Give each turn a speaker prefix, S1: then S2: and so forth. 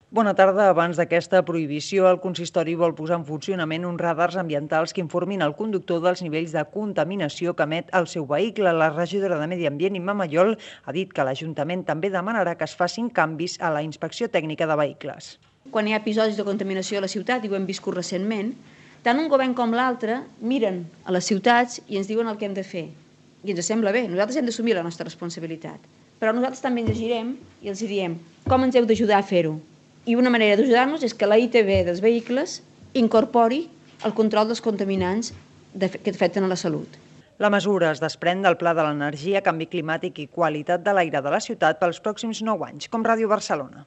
S1: Bona tarda. Abans d'aquesta prohibició, el consistori vol posar en funcionament uns radars ambientals que informin el conductor dels nivells de contaminació que emet el seu vehicle. La regidora de Medi Ambient, Imma Mayol, ha dit que l'Ajuntament també demanarà que es facin canvis a la inspecció tècnica de vehicles.
S2: Quan hi ha episodis de contaminació a la ciutat, i ho hem viscut recentment, tant un govern com l'altre miren a les ciutats i ens diuen el que hem de fer. I ens sembla bé, nosaltres hem d'assumir la nostra responsabilitat. Però nosaltres també ens llegirem i els diem com ens heu d'ajudar a fer-ho. I una manera d'ajudar-nos és que la ITV dels vehicles incorpori el control dels contaminants que afecten a la salut.
S1: La mesura es desprèn del Pla de l'Energia, Canvi Climàtic i Qualitat de l'Aire de la ciutat pels pròxims 9 anys, com Ràdio Barcelona.